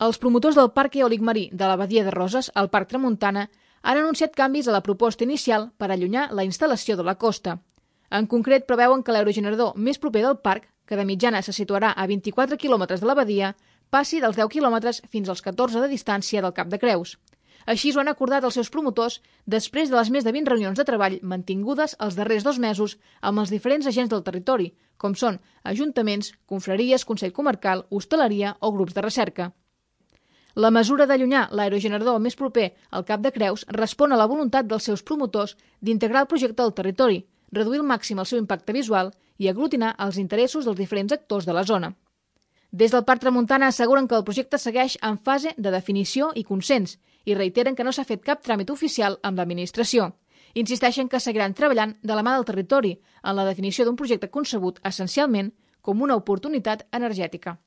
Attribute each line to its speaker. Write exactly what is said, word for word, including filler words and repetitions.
Speaker 1: Els promotors del Parc Eòlic Marí de la Badia de Roses, al Parc Tramuntana, han anunciat canvis a la proposta inicial per allunyar la instal·lació de la costa. En concret, preveuen que l'aerogenerador més proper del parc, que de mitjana se situarà a vint-i-quatre quilòmetres de la badia, passi dels deu quilòmetres fins als catorze de distància del Cap de Creus. Així ho han acordat els seus promotors després de les més de vint reunions de treball mantingudes els darrers dos mesos amb els diferents agents del territori, com són ajuntaments, confraries, Consell Comarcal, hostaleria o grups de recerca. La mesura d'allunyar l'aerogenerador més proper al Cap de Creus respon a la voluntat dels seus promotors d'integrar el projecte al territori, reduir al màxim el seu impacte visual i aglutinar els interessos dels diferents actors de la zona. Des del Parc Tramuntana asseguren que el projecte segueix en fase de definició i consens i reiteren que no s'ha fet cap tràmit oficial amb l'administració. Insisteixen que seguiran treballant de la mà del territori en la definició d'un projecte concebut essencialment com una oportunitat energètica.